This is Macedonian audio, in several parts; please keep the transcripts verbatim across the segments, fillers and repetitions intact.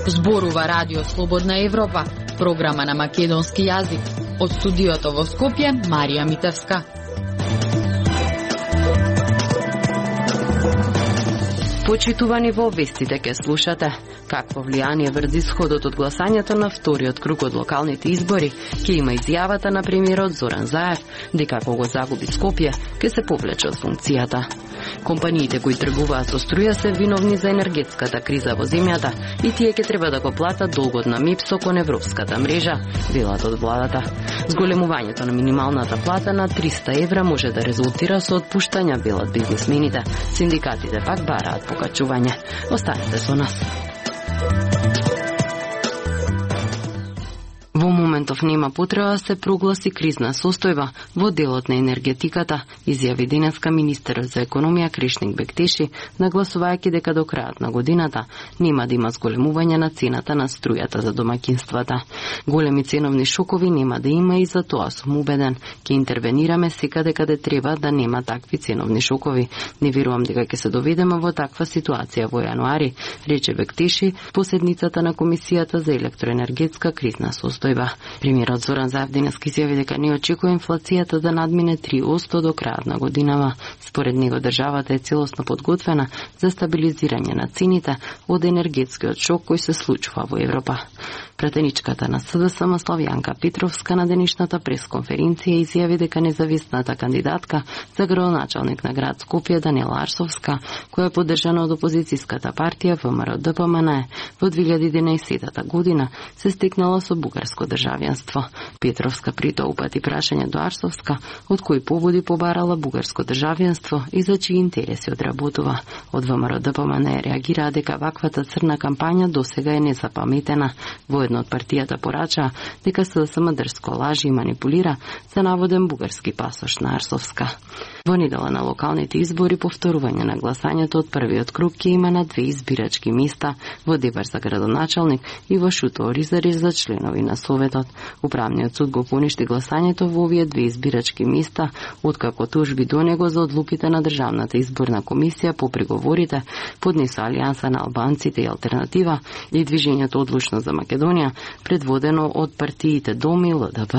Зборува Радио Слободна Европа, програма на македонски јазик. Од студиото во Скопје, Марија Митевска. Почитувани, во вестите ке слушате какво влијание врз исходот од гласањето на вториот круг од локалните избори ќе има изјавата на премиерот Зоран Заев дека ако го загуби Скопје ќе се повлече од функцијата. Компаниите кои тргуваат со струја се виновни за енергетската криза во земјата и тие ќе треба да го платат долгот на МИПСО кон европската мрежа, велат од владата. Зголемувањето на минималната плата на триста евра може да резултира со отпуштања, велат бизнисмените. Синдикатите пак бараат покачување. Останете со нас. Во моментов нема потреба да се прогласи кризна состојба во делот на енергетиката, изјави денеска министерот за економија Кришник Бектеши, нагласувајќи дека до крајот на годината нема да има зголемување на цената на струјата за домаќинствата. Големи ценовни шокови нема да има и за тоа сум убеден. Ќе интервенираме секаде каде треба да нема такви ценовни шокови. Не верувам дека ќе се доведеме во таква ситуација во јануари, рече Бектеши по седницата на Комисијата за електроенергетска кризна состојба. Премиерот Зоран Заев денес изјави дека не очекува инфлацијата да надмине три одсто до крајот на годинава. Според него државата е целосно подготвена за стабилизирање на цените од енергетскиот шок кој се случува во Европа. Пратеничката на СДСМ Славјанка Петровска на денешната пресконференција изјави дека независната кандидатка за градоначалник на град Скопје Данела Арсовска, која е поддржана од опозицијската партија ВМРО-ДПМН во две илјади и единаесетта година, се стекнала со бугарско државјанство. Петровска при тоа упати прашање до Арсовска од кои поводи побарала бугарско државјанство и за чии интереси одработува. Од ВМРО-ДПМН реагираа дека ваквата црна кампања досега е незапаметена. Во од партијата порача дека СДСМ дрско лажи и манипулира за наводен бугарски пасош на Арсовска. Во недела на локалните избори повторување на гласањето од првиот круг ќе има на две избирачки места во Дебар за градоначалник и во Шуто Оризари за членови на Советот. Управниот суд го поништи гласањето во овие две избирачки места, откако тужби до него за одлуките на Државната изборна комисија по приговорите поднеса Алијанса на албанците и Алтернатива и Движењето Одлучно за Македонија, предводено од партиите Дом и ЛДП.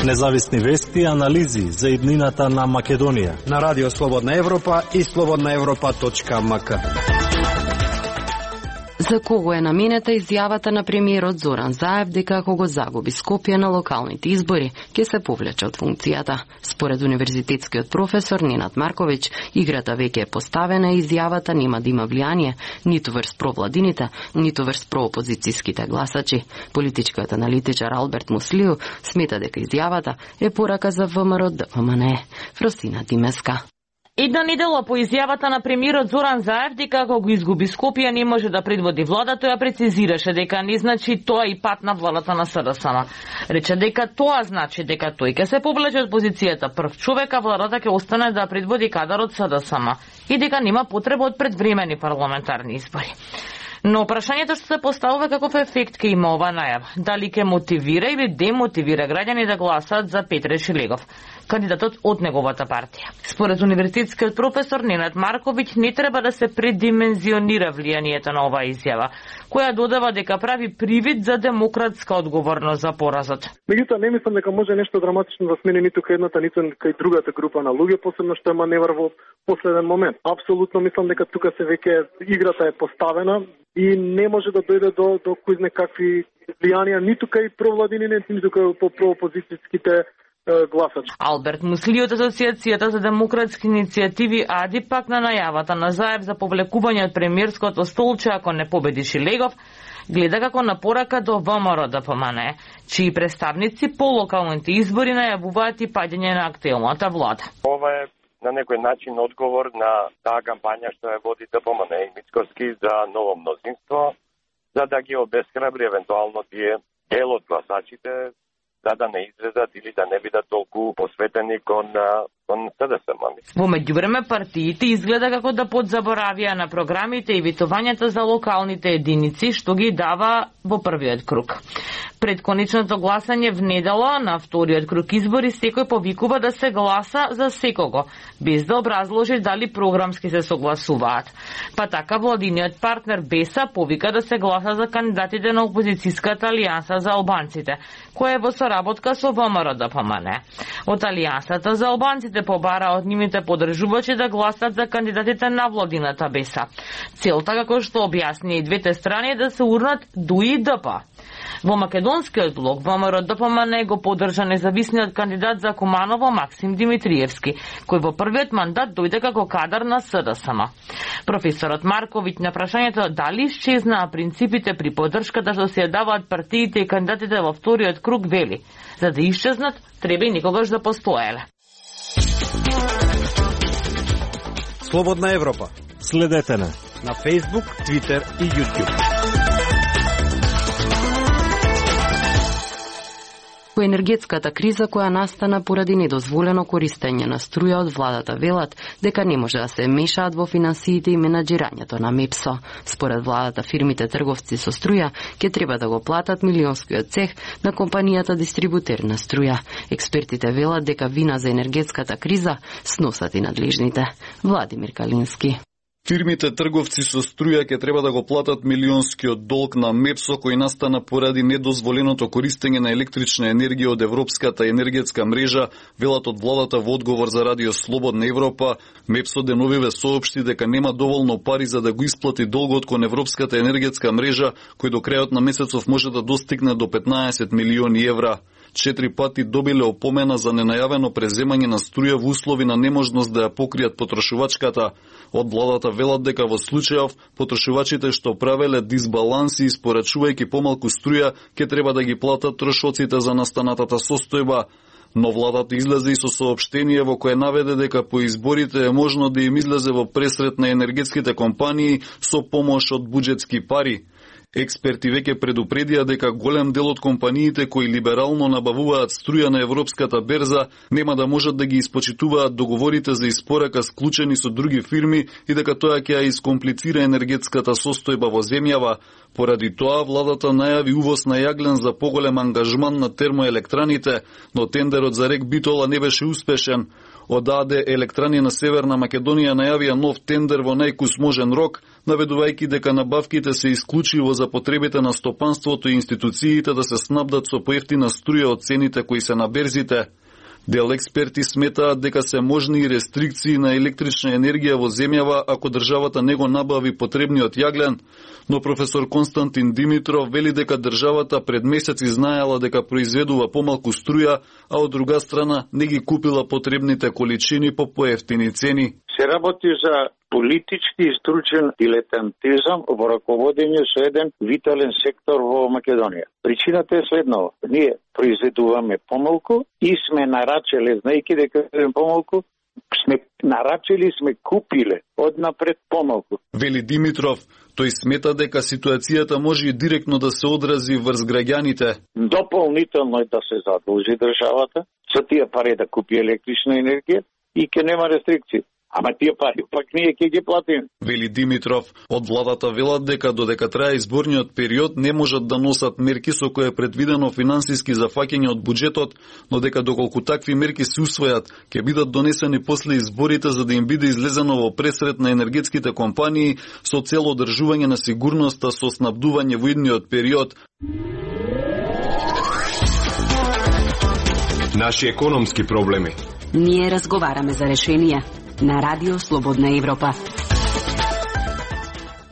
Независни вести и анализи за иднината на Македонија на Радио Слободна Европа и слободна европа точка ем ка. За кого е наменета изјавата на премиерот Зоран Заев дека ако го загуби Скопје на локалните избори, ќе се повлече од функцијата. Според универзитетскиот професор Ненад Марковиќ, играта веќе е поставена и изјавата нема да има влијание ниту врз провладините, ниту врз проопозицијските гласачи. Политичкиот аналитичар Алберт Муслију смета дека изјавата е порака за ВМРО-ДПМН. Фросина Димеска. Една недела по изјавата на премиерот Зоран Заев дека ако го изгуби Скопје не може да предводи влада, тој ја прецизираше дека не значи тоа и пат на владата на СДСМ. Рече дека тоа значи дека тој ќе се повлече од позицијата прв човек, а владата ќе остане да предводи кадарот СДСМ и дека нема потреба од предвремени парламентарни избори. Но прашањето што се поставува каков ефект ќе има ова најава, дали ќе мотивира или демотивира граѓани да гласат за Петре Шилегов, кандидатот од неговата партија. Според универзитетскиот професор Ненад Марковиќ не треба да се предимензионира влијанието на оваа изјава, која додава дека прави привид за демократска одговорност за поразот. Меѓутоа не мислам дека може нешто драматично да смени ниту кај едната, ниту кај другата група на луѓе, посебно што е маневр во последен момент. Апсолутно мислам дека тука се веќе играта е поставена и не може да дојде до до кој знае какви влијанија ниту кај провладините, ниту кај по проопозицијските гласачи. Алберт Мусли од Асоциацијата за демократски иницијативи АДИ пак на најавата на Заев за повлекување од премиерското столче ако не победи Шилегов, гледа како на порака до ВМРО-ДПМН, чии представници по локалните избори најавуваат и паѓање на актуелната влада. Ова е на некој начин одговор на таа кампања што ја води ДПМН и Мицкоски за ново мнозинство, за да ги обесхрабри евентуално тие дел од гласачите, за да не излезат или да не бидат толку посветени кон кон СДСМ. Во меѓувреме партиите изгледа како да подзаборавија на програмите и витувањата за локалните единици што ги дава во првиот круг. Пред конечното гласање в недела на вториот круг избори секој повикува да се гласа за секого, без да образложи дали програмски се согласуваат. Па така владиниот партнер Беса повика да се гласа за кандидатите на опозицијската алијанса за албанците, која е во соработка со ВМРО-ДПМН. Од алијансата за албанците побара од нивните поддржувачи да гласат за кандидатите на владината Беса. Целта, како што објасни и двете страни, е да се урнат ДУИ и ДП. Во македонскиот блок ВМРО-ДПМН го поддржа независниот кандидат за Куманово Максим Димитриевски, кој во првиот мандат дојде како кадар на СДСМ. Професорот Марковиќ на прашањето дали исчезнаа принципите при поддршката што се ја даваат партиите и кандидатите во вториот круг вели: за да исчезнат, треба и никогаш да постоеле. Слободна Европа. Следете на на Facebook, Twitter и YouTube. По енергетската криза која настана поради недозволено користење на струја од владата велат дека не може да се мешаат во финансиите и менаџирањето на МЕПСО. Според владата фирмите трговци со струја ќе треба да го платат милионскиот цех на компанијата дистрибутер на струја. Експертите велат дека вина за енергетската криза сносат и надлежните. Владимир Калински. Фирмите трговци со струја ќе треба да го платат милионскиот долг на МЕПСО кој настана поради недозволеното користење на електрична енергија од Европската енергетска мрежа, велат од владата во одговор за Радио Слободна Европа. МЕПСО деновиве соопшти дека нема доволно пари за да го исплати долгот кон Европската енергетска мрежа, кој до крајот на месецов може да достигне до петнаесет милиони евра. Четири пати добиле опомена за ненајавено преземање на струја во услови на неможност да ја покријат потрошувачката. Од владата велат дека во случајов потрошувачите што правеле дисбаланси испорачувајќи помалку струја ќе треба да ги платат трошоците за настанатата состојба. Но владата излезе и со соопштение во кое наведе дека по изборите е можно да им излезе во пресрет на енергетските компании со помош од буџетски пари. Експерти веќе предупредија дека голем дел од компаниите кои либерално набавуваат струја на европската берза нема да можат да ги испочитуваат договорите за испорака склучени со други фирми и дека тоа ќе ја искомплицира енергетската состојба во земјава. Поради тоа владата најави увоз на јаглен за поголем ангажман на термоелектраните, но тендерот за РЕК Битола не беше успешен. Од АД Електрани на Северна Македонија најавија нов тендер во најкусможен рок, наведувајќи дека набавките се исклучиво за потребите на стопанството и институциите да се снабдат со поевтина струја од цените кои се на берзите. Дел експерти сметаат дека се можни и рестрикции на електрична енергија во земјава ако државата не го набави потребниот јаглен, но професор Константин Димитров вели дека државата пред месеци знаела дека произведува помалку струја, а од друга страна не ги купила потребните количини по поевтини цени. Се работи за политички и стручен дилетантизам во раководење со еден витален сектор во Македонија. Причината е следнава. Ние произведуваме помалку и сме нарачеле, знајќи дека еден помалку, сме нарачели, сме купиле однапред помалку. Вели Димитров, тој смета дека ситуацијата може и директно да се одрази врз граѓаните. Дополнително е да се задолжи државата со тие пари да купи електрична енергија и ќе нема рестрикции. Ама тие пари пак ние ќе ги платиме. Вели Димитров, од владата велат дека додека трае изборниот период не можат да носат мерки со кои е предвидено финансиски зафаќање од буџетот, но дека доколку такви мерки се усвојат, ќе бидат донесени после изборите за да им биде излезено во пресрет на енергетските компании со цел одржување на сигурноста со снабдување во идниот период. Наши економски проблеми. Ние разговараме за решенија на Радио Слободна Европа.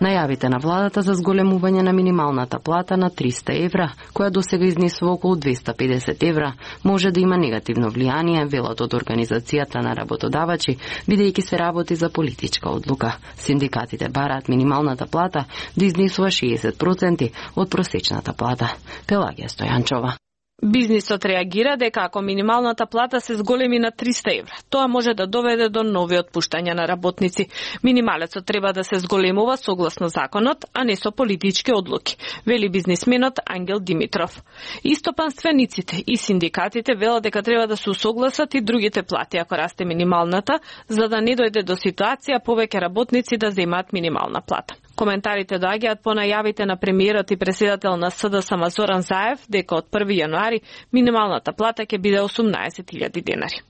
Најавите на владата за зголемување на минималната плата на триста евра, која досега изнесува околу двеста педесет евра, може да има негативно влијание, велат од Организацијата на работодавачи, бидејќи се работи за политичка одлука. Синдикатите бараат минималната плата да изнесува шеесет проценти од просечната плата. Пелагија Стојанчова. Бизнисот реагира дека ако минималната плата се зголеми на триста евра, тоа може да доведе до нови отпуштања на работници. Минималецот треба да се зголемува согласно законот, а не со политички одлуки, вели бизнисменот Ангел Димитров. Истопанствениците и синдикатите велат дека треба да се усогласат и другите плати ако расте минималната, за да не дојде до ситуација повеќе работници да земаат минимална плата. Коментарите доаѓаат по најавите на премиерот и председател на СДСМ Зоран Заев дека од први јануари минималната плата ќе биде осумнаесет илјади денари.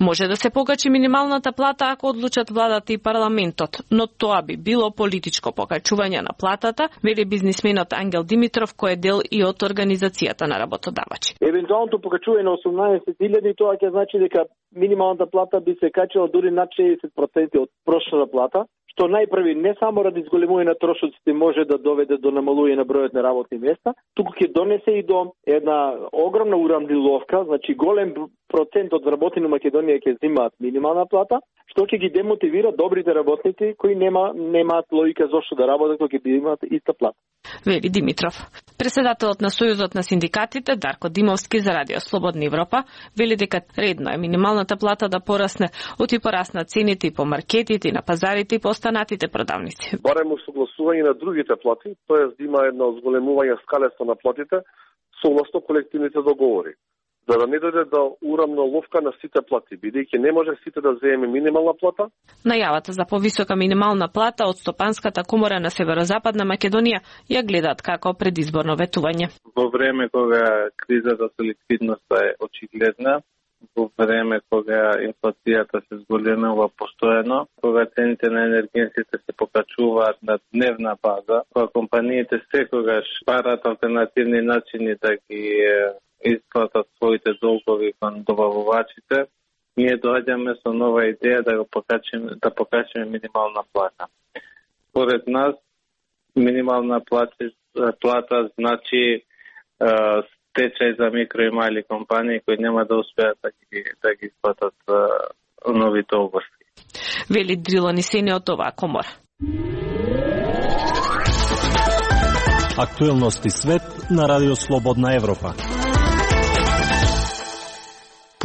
Може да се покачи минималната плата ако одлучат владата и парламентот, но тоа би било политичко покачување на платата, вели бизнисменот Ангел Димитров, кој е дел и од организацијата на работодавачи. Евентуалното покачување на осумнаесет илјади, тоа ќе значи дека минималната плата би се качила дури над шеесет проценти од прошната плата, што најпрви не само ради зголемување на трошоците може да доведе до намалување на бројот на работни места, туку ќе донесе и до една огромна урамниловка, значи голем процент од вработени во Македонија ќе земаат минимална плата, што ќе ги демотивира добрите работници кои нема немаат логика зошто да работат кога ќе имаат иста плата. Вели Димитров. Председателот на Сојузот на синдикатите Дарко Димовски за Радио Слободна Европа вели дека редно е минималната плата да порасне, од и пораснат цените и по маркетите, и на пазарите и по останатите продавници. Барем усогласување на другите плати, тоест да има едно зголемување скалесто на платите согласно колективните договори, за да не дојде до урамноловка на сите плати, бидејќи не може сите да земе минимална плата. Најавата за повисока минимална плата од Стопанската комора на Северозападна Македонија ја гледаат како предизборно ветување. Во време кога кризата со ликвидноста е очигледна, во време кога инфлацијата се зголемува постојано, кога цените на енергенсите се покачуваат на дневна база, кога компаниите секогаш барат алтернативни начини да ги исплатат своите долгови кон добавувачите, ние доаѓаме со нова идеја да го покачиме, да покачиме минимална плата. Според нас, минимална плата, плата значи е, стечај за микро и мали компании кои нема да успеат да ги, да ги исплатат е, нови долгови. Вели Дрило Нисени од оваа комора. Актуелности свет на Радио Слободна Европа.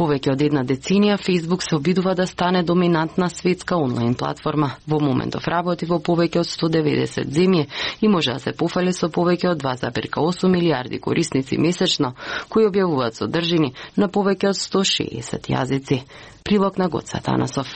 Повеќе од една деценија, Facebook се обидува да стане доминантна светска онлайн платформа. Во моментов работи во повеќе од сто деветдесет земји и може да се пофали со повеќе од два зарез осум милијарди корисници месечно, кои објавуваат содржини на повеќе од сто шеесет јазици. Прилог на Гоца Танасов.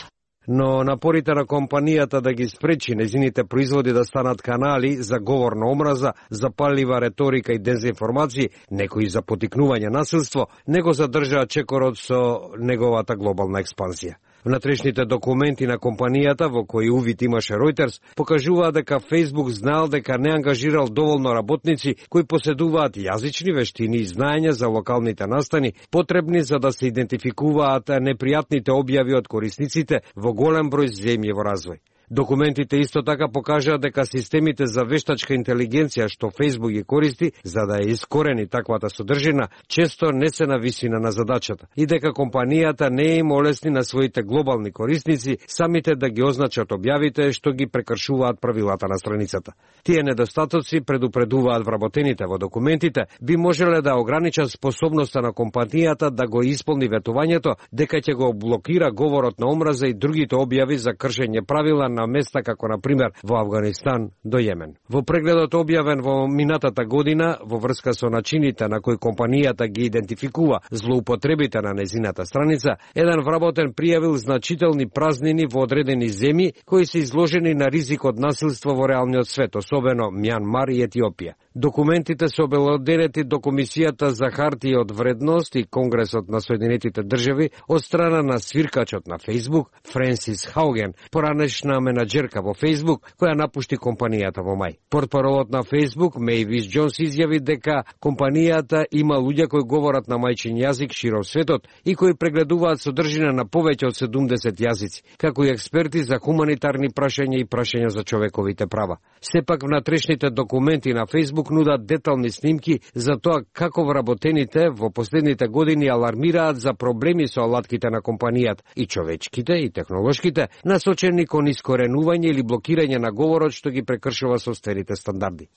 Но напорите на компанијата да ги спречи незините производи да станат канали за говор на омраза, запаллива реторика и дезинформации, некои за потикнување насилство, не го задржаа чекорот со неговата глобална експанзија. Внатрешните документи на компанијата, во кои увид имаше Reuters, покажуваа дека Facebook знаел дека не ангажирал доволно работници кои поседуваат јазични вештини и знаења за локалните настани, потребни за да се идентификуваат непријатните објави од корисниците во голем број земји во развој. Документите исто така покажаа дека системите за вештачка интелигенција што Facebook ги користи за да ја искорени таквата содржина, често не се на висина на задачата и дека компанијата не им олесни на своите глобални корисници самите да ги означат објавите што ги прекршуваат правилата на страницата. Тие недостатоци, предупредуваат вработените во документите, би можеле да ограничат способноста на компанијата да го исполни ветувањето дека ќе го блокира говорот на омраза и другите објави за кршење правила на места како на пример во Авганистан до Јемен. Во прегледот објавен во минатата година во врска со начините на кои компанијата ги идентификува злоупотребите на незината страница, еден вработен пријавил значителни празнини во одредени земји кои се изложени на ризик од насилство во реалниот свет, особено Мјанмар и Етиопија. Документите се обелоденети до Комисијата за хартија од вредност и Конгресот на Соединетите држави од страна на свиркачот на Facebook Френсис Хауген, поранешна менаџерка во Facebook, која напушти компанијата во мај. Портпаролот на Facebook, Мејвис Џонс, изјави дека компанијата има луѓе кои говорат на мајчин јазик широм светот и кои прегледуваат содржина на повеќе од седумдесет јазици, како и експерти за хуманитарни прашања и прашања за човековите права. Сепак внатрешните документи на Facebook нудат детални снимки за тоа како вработените во последните години алармираат за проблеми со алатките на компанијата, и човечките и технолошките, насочени кон искоренување или блокирање на говорот што ги прекршува соствените стандарди.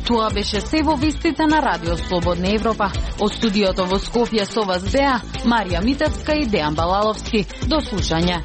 Тоа беше се во вестите на Радио Слободна Европа. Од студиото во Скопје со вас беа Марија Митевска и Дејан Балаловски. До слушање.